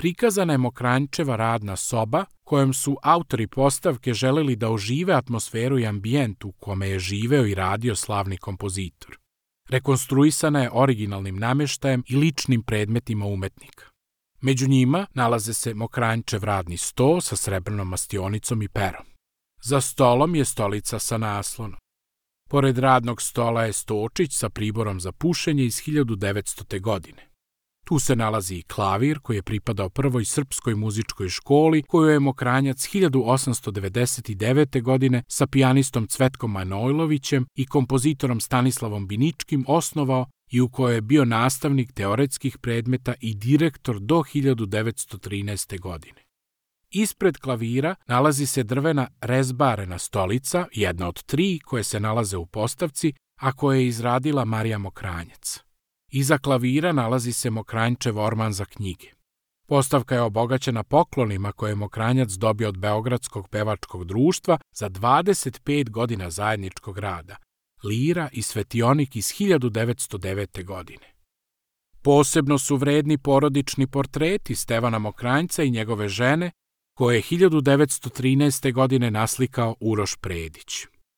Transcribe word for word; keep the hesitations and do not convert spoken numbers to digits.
prikazana je Mokranjčeva radna soba kojom su autori postavke želeli da ožive atmosferu i ambijent u kome je živeo i radio slavni kompozitor. Rekonstruisana je originalnim namještajem i ličnim predmetima umetnika. Među njima nalaze se Mokranjčev radni sto sa srebrnom mastionicom i perom. Za stolom je stolica sa naslonom. Pored radnog stola je stočić sa priborom za pušenje iz hiljadu devetstote. godine. Tu se nalazi i klavir koji je pripadao prvoj srpskoj muzičkoj školi koju je Mokranjac hiljadu osamsto devedeset devete. godine sa pijanistom Cvetkom Manojlovićem i kompozitorom Stanislavom Biničkim osnovao i u kojoj je bio nastavnik teoretskih predmeta i direktor do hiljadu devetsto trinaeste. godine. Ispred klavira nalazi se drvena rezbarena stolica, jedna od tri koje se nalaze u postavci, a koje je izradila Marija Mokranjac. Iza klavira nalazi se Mokranjčev orman za knjige. Postavka je obogaćena poklonima koje je Mokranjac dobio od Beogradskog pevačkog društva za dvadeset pet godina zajedničkog rada, lira i svetionik iz hiljadu devetsto devete. godine. Posebno su vredni porodični portreti Stevana Mokranjca i njegove žene, koje je hiljadu devetsto trinaeste. godine naslikao Uroš Predić.